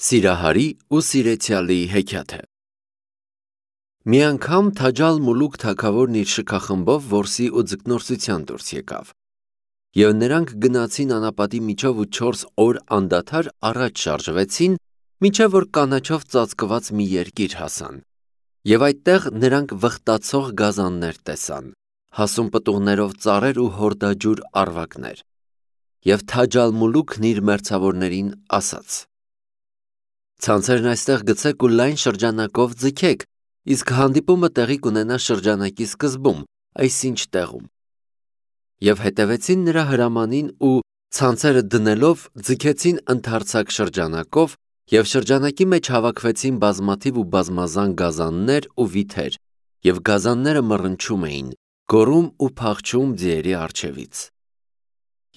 Սիրահարի ու սիրեցյալի հեքիաթը։ Մի անգամ Թաջալ Մուլուք թագավորն իր շքախմբով որսի ու ձկնորսության դուրս եկավ, և նրանք գնացին անապատի միջով ու 4 օր անդադար առաջ շարժվեցին, մինչև որ կանաչով ծածկված մի երկիր հասան, և այդտեղ նրանք վխտացող գազաններ տեսան, հասուն պտուղներով ծառեր ու հորդաջուր առվակներ, և Թաջալ Մուլուքն իր մերձավորներին ասաց. «Ցանցերն այստեղ գցեք ու լայն շրջանակով ձգեք, իսկ հանդիպումը տեղի կունենա շրջանակի սկզբում, այսինչ տեղում»։ Եվ հետևեցին նրա հրամանին ու ցանցերը դնելով ձգեցին ընդարձակ շրջանակով, և շրջանակի մեջ հավաքվեցին բազմաթիվ ու բազմազան գազաններ ու վիթեր, և գազանները մռնչում էին, գոռում ու փախչում ձիերի առջևից։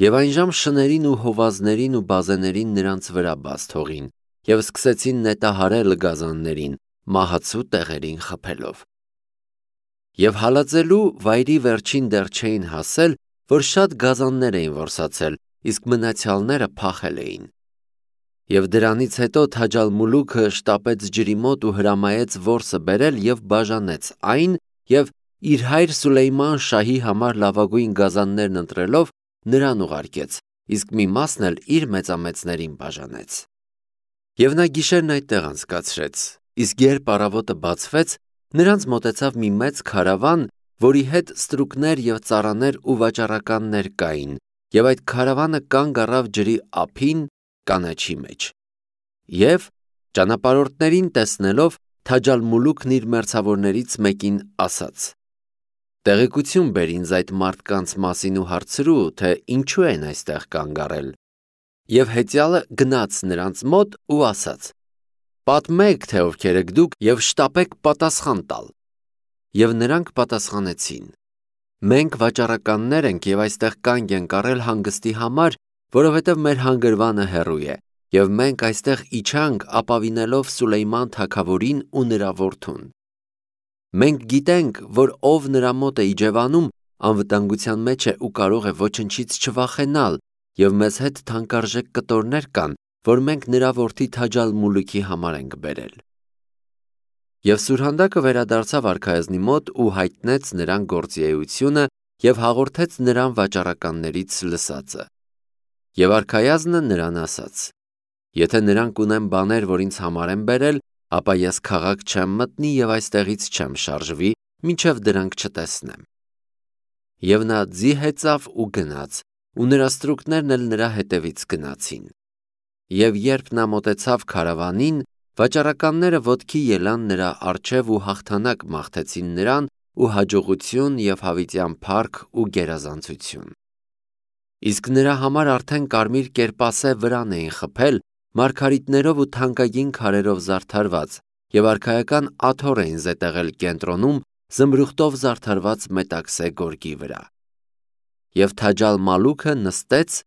Եվ այնժամ շներին ու հովազներին ու բազեներին նրանց վրա բաց թողին, և սկսեցին նետահարել գազաններին, մահացու տեղերին խփելով։ Եվ հալածելու վայրի վերջին դեռ չէին հասել, որ շատ գազաններ էին որսացել, իսկ մնացյալները փախել էին։ Եվ դրանից հետո Թաջալ Մուլուքը շտապեց ջրի մոտ ու հրամայեց որսը բերել և բաժանեց այն, և իր հայր Սուլեյման շահի համար լավագույն գազաններն ընտրելով նրան ուղարկեց, իսկ մի մասն էլ իր մեծամեծներին բաժանեց։ Եվ նա գիշերն այդտեղ անցկացրեց, իսկ երբ առավոտը բացվեց, նրանց մոտեցավ մի մեծ քարավան, որի հետ ստրուկներ և ծառաներ ու վաճառականներ կային, և այդ քարավանը կանգ առավ ջրի ափին կանաչի մեջ։ Եվ ճանապարհորդներին տեսնելով, Թաջալ Մուլուքն իր մերձավորներից մեկին ասաց. «Տեղեկություն բեր ինձ այդ մարդկանց մասին ու հարցրու, թե ինչու են այստեղ կանգ առել»։ Եվ հեծյալը գնաց նրանց մոտ ու ասաց. «Պատմեք, թե ովքեր եք դուք, և շտապեք պատասխան տալ»։ Եվ նրանք պատասխանեցին. «Մենք վաճառականներ ենք և այստեղ կանգ ենք առել հանգստի համար, որովհետև մեր հանգրվանը հեռու է, և մենք այստեղ իջանք ապավինելով Սուլեյման թագավորին ու նրա որդուն։ Մենք գիտենք, որ ով նրա մոտ է իջևանում, անվտանգության մեջ է ու կարող է ոչնչից չվախենալ, և մեզ հետ թանկարժեք կտորներ կան, որ մենք նրա որդի Թաջալ Մուլուքի համար ենք բերել»։ Եվ սուրհանդակը վերադարձավ արքայազնի մոտ ու հայտնեց նրան գործի և հաղորդեց նրան վաճառականներից լսածը։ Եվ արքայազնը նրան ասաց. «Եթե նրանք ունեն բաներ, որ ինձ համար են բերել, ապա ես քաղաք չեմ մտնի և այստեղից չեմ շարժվի, մինչև դրանք չտեսնեմ»։ Եվ նա ձի հեծավ ու գնաց, ու նրա ստրուկներն էլ նրա հետևից գնացին։ Եվ երբ նա մոտեցավ քարավանին, վաճառականները ոտքի ելան նրա առջև ու հաղթանակ մաղթեցին նրան ու հաջողություն և հավիտյան փառք ու գերազանցություն։ Իսկ նրա համար արդեն կարմիր կերպասե վրան էին խփել, մարգարիտներով ու թանկագին քարերով զարդարված, և արքայական աթոռ էին զետեղել կենտրոնում զմրուխտով զարդարված մետաքսե գորգի վրա։ Եվ Թաջալ Մալուքը նստեց,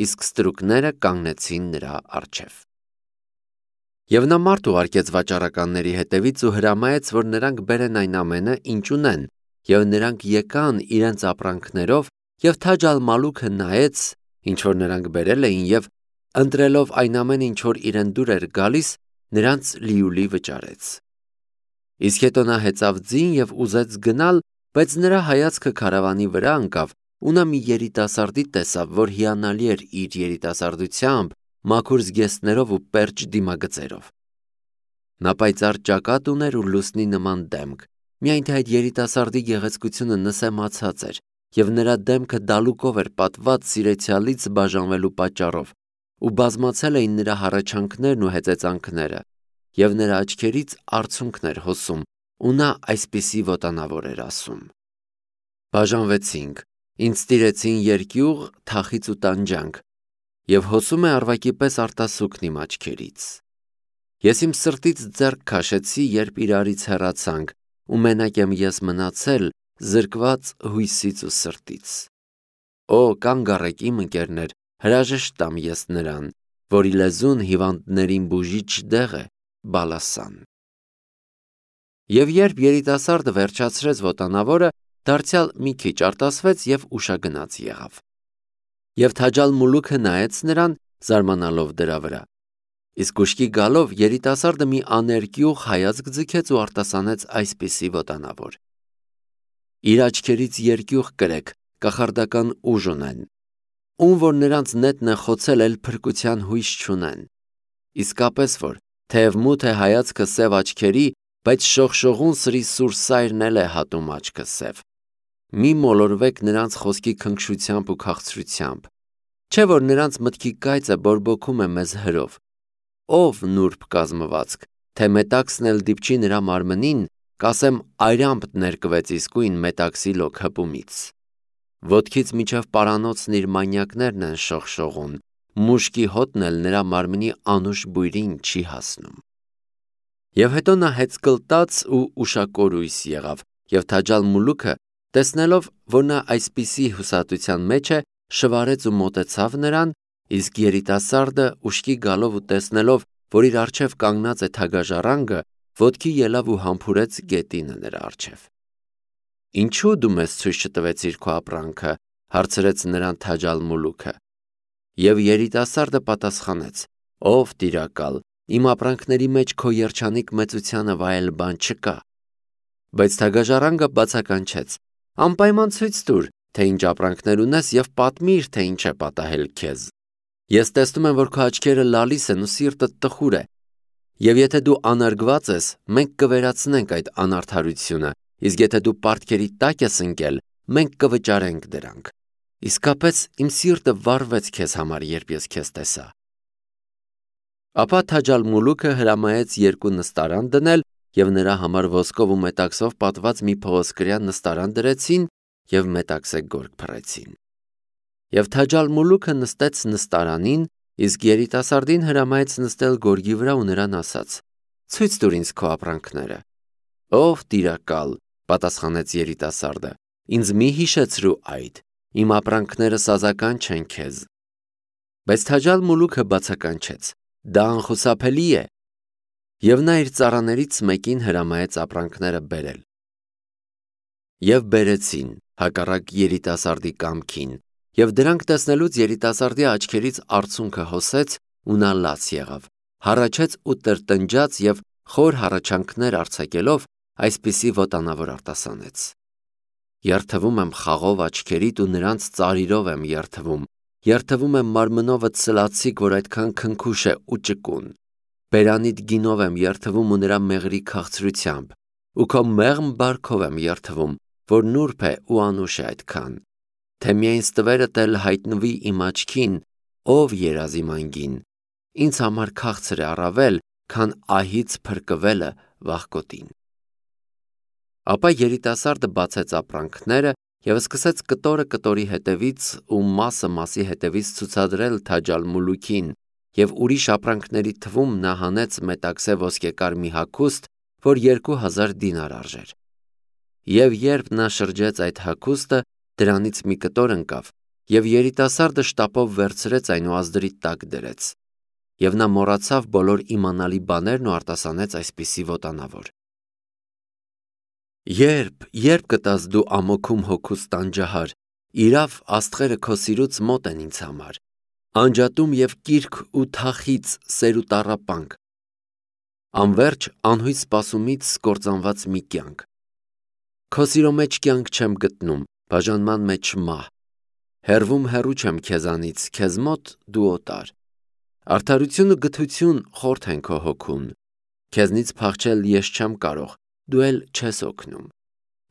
իսկ ստրուկները կանգնեցին նրա առջև։ Եվ նա մարդ ուղարկեց վաճառականների հետևից ու հրամայեց, որ նրանք բերեն այն ամենը, ինչ ունեն, և նրանք եկան իրենց ապրանքներով, և Թաջալ Մալուքը նայեց, ինչ որ նրանք բերել էին, և ընտրելով այն ամենը, ինչ որ իրեն դուր էր գալիս, նրանց լիուլի վճարեց։ Իսկ հետո նա հեծավ ձին և ուզեց գնալ, բայց նրա հայացքը քարավանի վրա ընկավ, ու նա մի երիտասարդի տեսավ, որ հիանալի էր իր երիտասարդությամբ, մաքուր զգեստներով ու պերճ դիմագծերով։ Նա պայծառ ճակատ ուներ ու լուսնի նման դեմք, միայն թե այդ երիտասարդի գեղեցկությունը նսեմացած էր, և նրա դեմքը դալուկով էր պատված սիրեցյալից բաժանվելու պատճառով, ու բազմացել էին նրա հառաչանքներն ու հեծեծանքները, և նրա աչքերից արցունքն էր հոսում, ու նա այսպիսի ոտանավոր էր ասում. «Բաժանվեցինք, ինձ տիրեցին երկյուղ, թախիծ ու տանջանք, և հոսում է առվակի պես արտասուքն իմ աչքերից։ Ես իմ սրտից ձեռք քաշեցի, երբ իրարից հեռացանք, ու մենակ եմ ես մնացել, զրկված հույսից ու սրտից։ Օ, կանգ առեք իմ ընկերներ, հրաժեշտ տամ ես նրան, որի լեզուն հիվանդներին բուժիչ դեղ է, բալասան»։ Եվ երբ երիտասարդը վերջացրեց ոտանավորը, դարձյալ մի քիչ արտասվեց և ուշագնաց եղավ։ Եվ Թաջալ Մուլուքը նայեց նրան, զարմանալով դրա վրա։ Իսկ ուշքի գալով երիտասարդը մի աներկյուղ հայացք ձգեց ու արտասանեց այսպիսի ոտանավոր. «Իր աչքերից երկյուղ կրեք, կախարդական ուժ ունեն, ում որ նրանց նետն է խոցել էլ փրկության հույս չունեն։ Իսկապես որ, թեև մութ է հայացքը սև աչքերի, բայց շողշողուն սրի սուր սայրն էլ է հատում աչքը սև։ Մի մոլորվեք նրանց խոսքի քնքշությամբ ու քաղցրությամբ, չէ որ նրանց մտքի կայծը բորբոքում է մեզ հրով։ Ով նուրբ կազմվածք, թե մետաքսն էլ դիպչի նրա մարմնին, կասեմ այրամբ ներկվեց իսկույն մետաքսի լոկ հպումից։ Ոտքից միջև պարանոցն իր մանյակներն են շողշողուն, մուշկի հոտն էլ նրա մարմնի անուշ բույրին չի հասնում։ Եվ հետո նա հեծկլտաց ու ուշակորույս եղավ, և Թաջալ Մուլուքը, տեսնելով, որ նա այսպիսի հուսատության մեջ է, շվարեց ու մոտեցավ նրան, իսկ երիտասարդը ուշքի գալով ու տեսնելով, որ իր առջև կանգնած է թագաժառանգը, ոտքի ելավ ու համբուրեց գետինը նրա առջև։ Ինչու դու մեզ ցույց չտվեցիր քո ապրանքը, հարցրեց նրան Թաջալ Մուլուքը։ Եվ երիտասարդը պատասխանեց. Ով տիրակալ, իմ ապրանքների մեջ քո երջանիկ մեծությանը վայել բան չկա։ Բայց թագաժառանգը բացականչեց. անպայման ցույց տուր, թե ինչ ապրանքներ ունես և պատմիր, թե ինչ է պատահել քեզ։ Ես տեսնում եմ, որ քո աչքերը լալիս են ու սիրտդ տխուր է։ Եվ եթե դու անարգված ես, մենք կվերացնենք այդ անարդարությունը, իսկ եթե դու պարտքերի տակ ես ընկել, մենք կվճարենք դրանք։ Իսկապես իմ սիրտը վառվեց քեզ համար, երբ ես քեզ տեսա։ Ապա Թաջալ Մուլուքը հրամայեց երկու նստարան դնել և նրա համար ոսկով ու մետաքսով պատված մի փղոսկրյա նստարան դրեցին և մետաքսե գորգ փռեցին։ Եվ Թաջալ Մուլուքը նստեց նստարանին, իսկ երիտասարդին հրամայեց նստել գորգի վրա ու նրան ասաց. ցույց տուր ինձ քո ապրանքները։ Ով տիրակալ, պատասխանեց երիտասարդը, ինձ մի հիշեցրու այդ, իմ ապրանքները սազական չեն քեզ։ Բայց Թաջալ Մուլուքը բացականչեց. դա անխուսափելի է։ Եվ նա իր ծառաներից մեկին հրամայեց ապրանքները բերել։ Եվ բերեցին, հակառակ երիտասարդի կամքին, և դրանք տեսնելուց երիտասարդի աչքերից արցունքը հոսեց ու նա լաց եղավ, հառաչեց ու տրտնջաց և խոր հառաչանքներ արձակելով այսպիսի ոտանավոր արտասանեց. երթվում եմ խաղով աչքերիդ ու նրանց ծարիրով եմ երթվում եմ մարմնովդ սլացիկ, որ այդքան քնքուշ է ու ճկուն, բերանիդ գինով եմ երթվում ու նրա մեղրի քաղցրությամբ, ու քո մեղմ բարքով եմ երթվում, որ նուրբ է ու անուշ է այդքան, թե միայն ստվերդ էլ հայտնվի իմ աչքին, ով երազիմ անգին, ինձ համար քաղցր է առավել, քան ահից փրկվելը վախկոտին։ Ապա երիտասարդը բացեց ապրանքները և սկսեց կտորը կտորի հետևից ու մասը մասի հետևից ցուցադրել Թաջալ Մուլուքին, և ուրիշ ապրանքների թվում նա հանեց մետաքսե ոսկեկար մի հագուստ, որ 2000 դինար արժեր։ Եվ երբ նա շրջեց այդ հագուստը, դրանից մի կտոր ընկավ, և երիտասարդը շտապով վերցրեց այն ու ազդրի տակ դրեց։ Եվ նա մոռացավ բոլոր իմանալի բաներն ու արտասանեց այսպիսի ոտանավոր. Երբ կտաս դու ամոքում հոգուս տանջահար, իրավ աստղերը քո սիրուց մոտ են ինձ համար, անջատում և կիրք ու թախիծ սեր ու տառապանք, անվերջ անհույս սպասումից կործանված մի կյանք։ Քո սիրո մեջ կյանք չեմ գտնում, բաժանման մեջ մահ, հեռվում հեռու չեմ քեզանից, քեզ մոտ դու օտար։ Արդարություն ու գթություն խորթ են քո հոգուն, քեզնից փախչել ես չեմ կարող, դու էլ չես օգնում։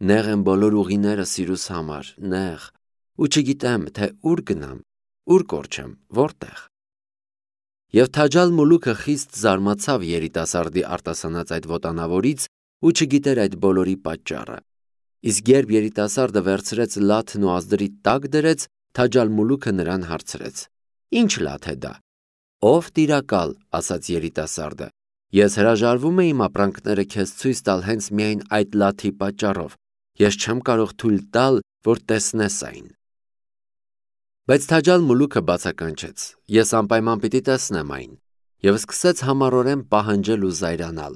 Նեղ են բոլոր ուղիները սիրուս համար, նեղ, ու չգիտեմ, թե ուր գնամ, ուր կորչեմ, որտեղ։ Եվ Թաջալ Մուլուքը խիստ զարմացավ երիտասարդի արտասանած այդ ոտանավորից ու չգիտեր այդ բոլորի պատճառը։ Իսկ երբ երիտասարդը վերցրեց լաթն ու ազդրի տակ դրեց, Թաջալ Մուլուքը նրան հարցրեց. Ինչ լաթ է դա։ Ով տիրակալ, ասաց երիտասարդը, ես հրաժարվում եմ իմ ապրանքները քեզ ցույց տալ հենց միայն այդ լաթի պատճառով, ես չեմ կարող թույլ տալ, որ տեսնես այն։ Բայց Թաջալ Մուլուքը բացականչեց. ես անպայման պիտի տեսնեմ այն, և սկսեց համառորեն պահանջել ու զայրանալ։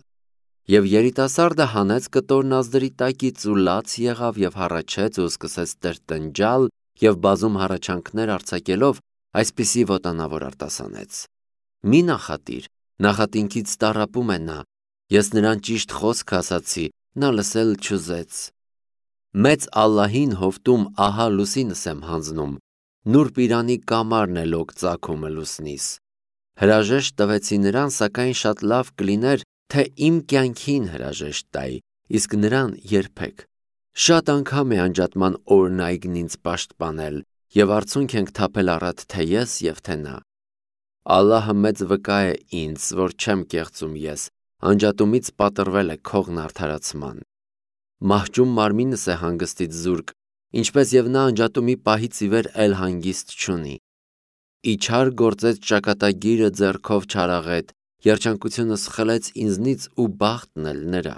Եվ երիտասարդը հանեց կտորն ազդրի տակից ու լաց եղավ և հառաչեց ու սկսեց տրտնջալ և բազում հառաչանքներ արձակելով այսպիսի ոտանավոր արտասանեց. մի նախատիր, Նախատինքից տառապում է նա, ես նրան ճիշտ խոսք ասացի, նա լսել չուզեց։ Մեծ Ալլահին հովտում ահա լուսինս եմ հանձնում, նուրբ Իրանի կամարն է լոկ ծագումը լուսնիս։ Հրաժեշտ տվեցի նրան, սակայն շատ լավ կլիներ, թե իմ կյանքին հրաժեշտ տայի, իսկ նրան երբեք։ Շատ անգամ է անջատման օրն այգին ինձ պաշտպանել, և արցունք ենք թափել առատ թե ես և թե նա։ Ալլահը մեծ վկա է ինձ, որ չեմ կեղծում ես, անջատումից պատրվել է քողն արդարացման։ Մահճում մարմինս է հանգստից զուրկ, ինչպես և նա անջատումի պահից ի վեր էլ հանգիստ չունի։ Իչար գործեց ճակատագիրը ձեռքով չարաղետ, երջանկությունս խլեց ինձնից ու բախտն էլ նրա։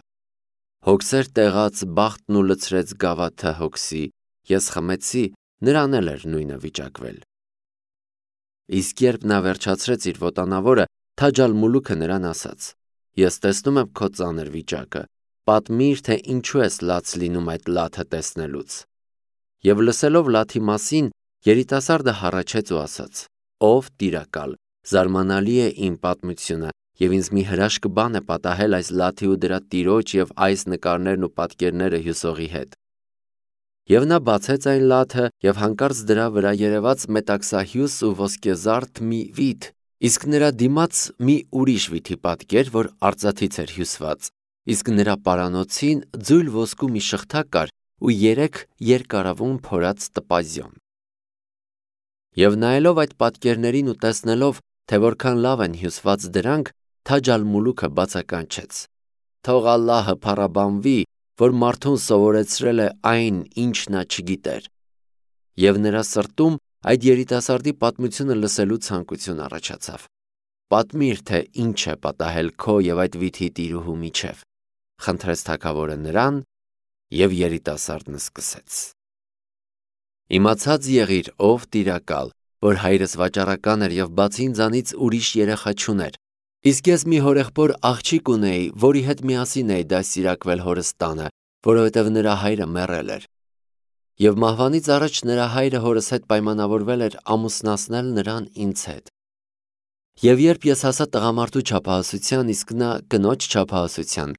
Հոգսեր տեղաց բախտն ու լցրեց գավաթը հոգսի, ես խմեցի, նրան էլ էր նույնը վիճակվել։ Իսկ երբ նա վերջացրեց իր ոտանավորը, Թաջ ալ-Մուլուքը նրան ասաց. ես տեսնում եմ քո ծանր վիճակը, պատմիր, թե ինչու ես լաց լինում այդ լաթը տեսնելուց։ Եվ լսելով լաթի մասին, երիտասարդը հառաչեց ու ասաց. ով տիրակալ, զարմանալի է իմ պատմությունը, և ինձ մի հրաշք բան է պատահել այս լաթի ու դրա տիրոջ և այս նկարներն ու պատկերները հյուսողի հետ։ Եվ նա բացեց այն լաթը, և հանկարծ դրա վրա երևաց մետաքսահյուս ու ոսկեզարդ մի վիթ, իսկ նրա դիմաց մի ուրիշ վիթի պատկեր, որ արծաթից էր հյուսված, իսկ նրա պարանոցին ձույլ ոսկու մի շղթա կար ու 3 երկարավուն փորած տպազյոն։ Եվ նայելով այդ պատկերներին ու տեսնելով, թե որքան լավ են հյուսված դրանք, Թաջ ալ-Մուլուքը բացականչեց. թող Ալլահը փառաբանվի, որ մարդուն սովորեցրել է այն, ինչ նա չգիտեր։ Եվ նրա սրտում այդ երիտասարդի պատմությունը լսելու ցանկություն առաջացավ։ Պատմիր, թե ինչ է պատահել քո և այդ վիթի տիրուհու միջև, խնդրեց թագավորը նրան, և երիտասարդն սկսեց. Իմացած եղիր, ով տիրակալ, որ հայրս վաճառական էր և բացի ինձանից ուրիշ երեխա չուներ, իսկ ես մի հորեղբոր աղջիկ ունեի, որի հետ միասին էի դաստիարակվել հորս տանը, որովհետև նրա հայրը մեռել էր։ Եվ մահվանից առաջ նրա հայրը հորս հետ պայմանավորվել էր ամուսնացնել նրան ինձ հետ։ Եվ երբ ես հասա տղամարդու չափահասության, իսկ նա կնոջ չափահասության,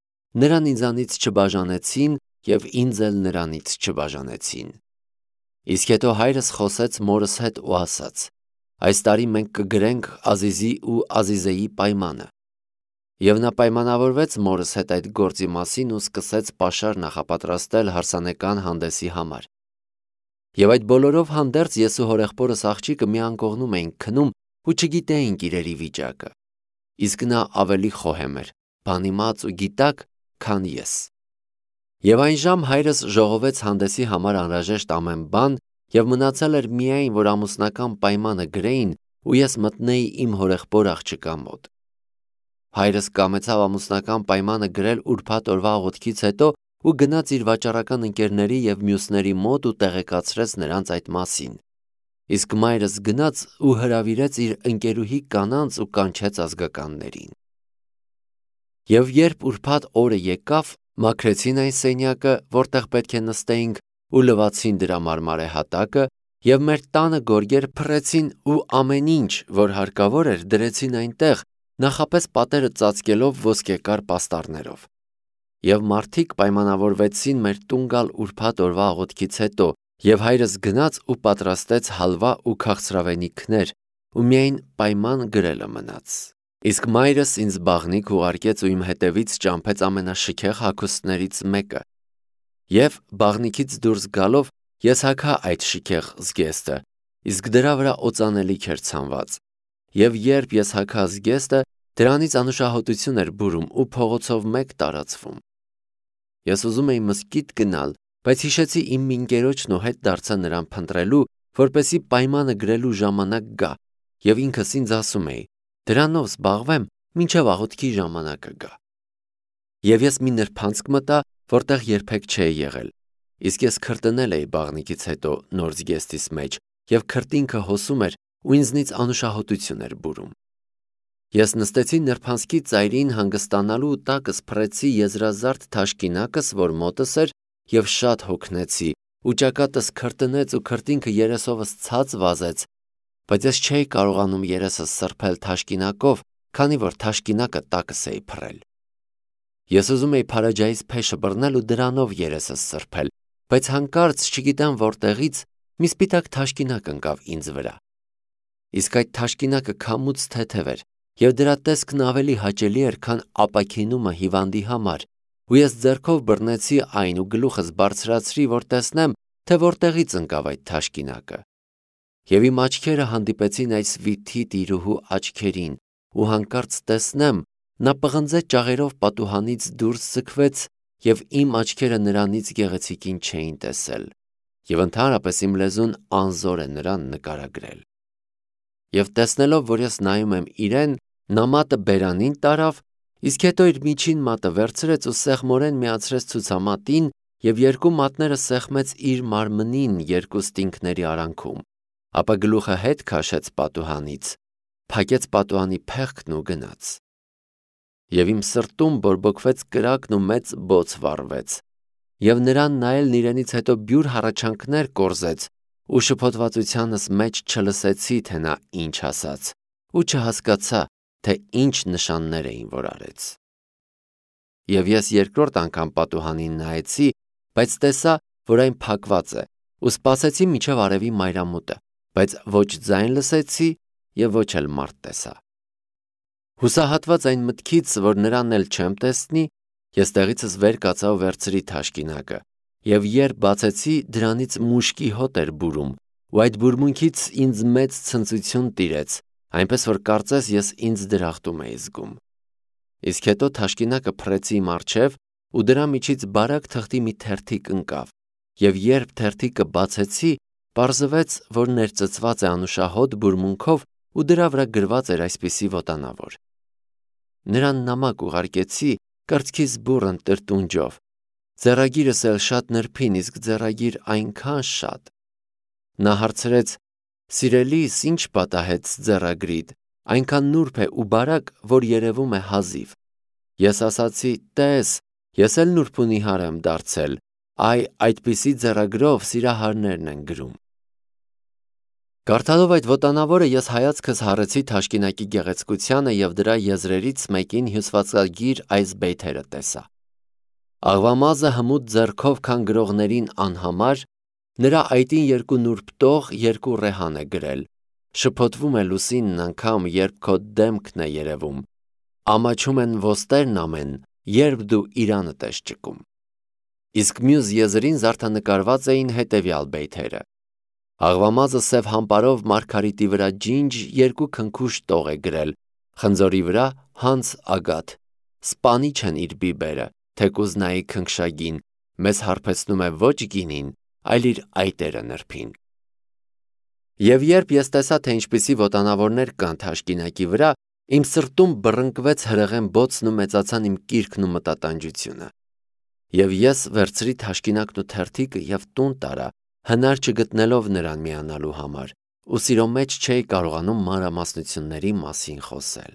նրան ինձանից չբաժանեցին և ինձ էլ նրանից չբաժանեցին։ Իսկ հետո հայրս խոսեց մորս հետ ու ասաց. այս տարի մենք կգրենք Ազիզի ու Ազիզեի պայմանը։ Եվ նա պայմանավորվեց մորս հետ այդ գործի մասին ու սկսեց պաշար նախապատրաստել հարսանեկան հանդեսի համար։ Եվ այդ բոլորով հանդերձ ես ու հորեղբորս աղջիկը մի անկողնում էինք քնում ու չգիտեինք իրերի վիճակը, իսկ նա ավելի խոհեմ էր, բանիմաց ու գիտակ, քան ես։ Եվ այն ժամ հայրս ժողովեց հանդեսի համար անհրաժեշտ ամեն բան, և մնացել էր միայն, որ ամուսնական պայմանը գրեին ու ես մտնեի իմ հորեղբոր աղջկա մոտ։ Հայրս կամեցավ ամուսնական պայմանը գրել ուրբաթ օրվա աղոթքից հետո ու գնաց իր վաճառական ընկերների և մյուսների մոտ ու տեղեկացրեց նրանց այդ մասին։ Իսկ մայրս գնաց ու հրավիրեց իր ընկերուհի կանանց ու կանչեց ազգականներին։ Եվ երբ ուրբաթ օրը եկավ, մաքրեցին այն սենյակը, որտեղ պետք է նստեինք, ու լվացին դրա մարմարե հատակը, և մեր տանը գորգեր փռեցին ու ամեն ինչ, որ հարկավոր էր, դրեցին այնտեղ, նախապես պատերը ծածկելով ոսկեկար պաստառներով։ Եվ մարդիկ պայմանավորվեցին մեր տուն գալ ուրբաթ օրվա աղոթքից հետո, և հայրս գնաց ու պատրաստեց հալվա ու քաղցրավենիքներ, ու միայն պայման գրելը մնաց։ Իսկ մայրս ինձ բաղնիք ուղարկեց ու իմ հետևից ճամփեց ամենաշքեղ հագուստներից մեկը։ Եվ բաղնիքից դուրս գալով ես հագա այդ շքեղ զգեստը, իսկ դրա վրա օծանելիք էր ցանված։ Եվ երբ ես հագա զգեստը, դրանից անուշահոտություն էր բուրում ու փողոցով մեկ տարածվում։ Ես ուզում էի մզկիթ գնալ, բայց հիշեցի իմ ընկերոջն ու հետ դարձա նրան փնտրելու, որպեսզի պայմանը գրելու ժամանակ գա, և ինքս ինձ ասում էի. դրանով զբաղվեմ, մինչև աղոթքի ժամանակը գա։ Եվ ես մի նրբանցք մտա, որտեղ երբեք չէի եղել, իսկ ես քրտնել էի բաղնիքից հետո նոր զգեստիս մեջ, և քրտինքը հոսում էր ու ինձնից անուշահոտություն էր բուրում։ Ես նստեցի նրբանցքի ծայրին հանգստանալու ու տակս փռեցի եզրազարդ թաշկինակս, որ մոտս էր, և շատ հոգնեցի, ու ճակատս քրտնեց ու քրտինքը երեսովս ցած վազեց, բայց ես չէի կարողանում երեսս սրբել թաշկինակով, քանի որ թաշկինակը տակս էի փռել։ Ես ուզում էի փարաջայից փեշը բռնել ու դրանով երեսս սրբել, բայց հանկարծ չգիտեմ որտեղից մի սպիտակ թաշկինակ ընկավ ինձ վրա։ Իսկ այդ թաշկինակը քամուց թեթև էր, և դրա տեսքն ավելի հաճելի էր, քան ապաքինումը հիվանդի համար, ու ես ձեռքով բռնեցի այն ու գլուխս բարձրացրի, որ տեսնեմ, թե որտեղից ընկավ այդ թաշկինակը։ Եվ իմ աչքերը հանդիպեցին այս վիթի տիրուհու աչքերին, ու հանկարծ տեսնեմ, նա պղնձե ճաղերով պատուհանից դուրս ձգվեց, և իմ աչքերը նրանից գեղեցիկին չէին տեսել, և ընդհանրապես իմ լեզուն անզոր է նրան նկարագրել։ Եվ տեսնելով, որ ես նայում եմ իրեն, նա մատը բերանին տարավ, իսկ հետո իր միջին մատը վերցրեց ու սեղմորեն միացրեց ցուցամատին և երկու մատները սեղմեց իր մարմնին երկու ստինգների արանքում, ապա գլուխը հետ քաշեց պատուհանից, փակեց պատուհանի փեղկն ու գնաց։ Եվ իմ սրտում բորբոքվեց կրակն ու մեծ բոց վառվեց, և նրան նայելն իրենից հետո բյուր հառաչանքներ կորզեց, ու շփոթվածությանս մեջ չլսեցի, թե նա ինչ ասաց, ու չհասկացա, թե ինչ նշաններ էին, որ արեց։ Եվ ես երկրորդ անգամ պատուհանին նայեցի, բայց տեսա, որ այն փակված է, ու սպասեցի մինչև արևի մայրամուտը, բայց ոչ ձայն լսեցի և ոչ էլ մարդ տեսա։ Հուսահատված այն մտքից, որ նրան էլ չեմ տեսնի, ես տեղիցս վեր կացա ու վերցրի թաշկինակը, և երբ բացեցի, դրանից մուշկի հոտ էր բուրում, ու այդ բուրմունքից ինձ մեծ ցնծություն տիրեց, այնպես որ կարծես ես ինձ դրախտում էի զգում։ Իսկ հետո թաշկինակը փռեցի իմ առջև, ու դրա միջից բարակ թղթի մի թերթիկ ընկավ, և երբ թերթիկը բացեցի, պարզվեց, որ ներծծված է անուշահոտ բուրմունքով ու դրա վրա գրված էր այսպիսի ոտանավոր. Նրան նամակ ուղարկեցի կրծքիս բուռն տրտունջով, ձեռագիրս էլ շատ նրբին, իսկ ձեռագիր այնքան շատ։ Նա հարցրեց. «Սիրելիս, ինչ պատահեց ձեռագրիդ, այնքան նուրբ է ու բարակ, որ երևում է հազիվ»։ Ես ասացի. «Տես, ես էլ նուրբ ու նիհար եմ դարձել, այդպիսի ձեռագրով սիրահարներն են գրում»։ Կարդալով այդ ոտանավորը ես հայացքս հառեցի թաշկինակի գեղեցկությանը և դրա եզրերից մեկին հյուսվածքագիր այս բեյթերը տեսա. «Աղվամազը հմուտ ձեռքով քան գրողներին անհամար, նրա այտին երկու նուրբ տող, երկու ռեհան է գրել, շփոթվում է լուսինն անգամ, երբ քո դեմքն է երևում, ամաչում են ոստերն ամեն, երբ դու իրանդ ես ճկում»։ Իսկ մյուս եզրին զարդանկարված էին հետևյալ բեյթերը. «Աղվամազը սև համպարով մարգարիտի վրա ջինջ երկու քնքուշ տող է գրել, խնձորի վրա հանց ագաթ, սպանիչ են իր բիբերը, թեկուզ նայի քնքշագին, մեզ հարբեցնում է ոչ գինին, այլ իր այտերը նրբին»։ Եվ երբ ես տեսա, թե ինչպիսի ոտանավորներ կան թաշկինակի վրա, իմ սրտում բռնկվեց հրեղեն բոցն ու մեծացան իմ կիրքն ու մտատանջությունը։ Եվ ես վերցրի թաշկինակն ու թերթիկը և տուն տարա, հնար չգտնելով նրան միանալու համար, ու սիրո մեջ չէի կարողանում մանրամասնությունների մասին խոսել։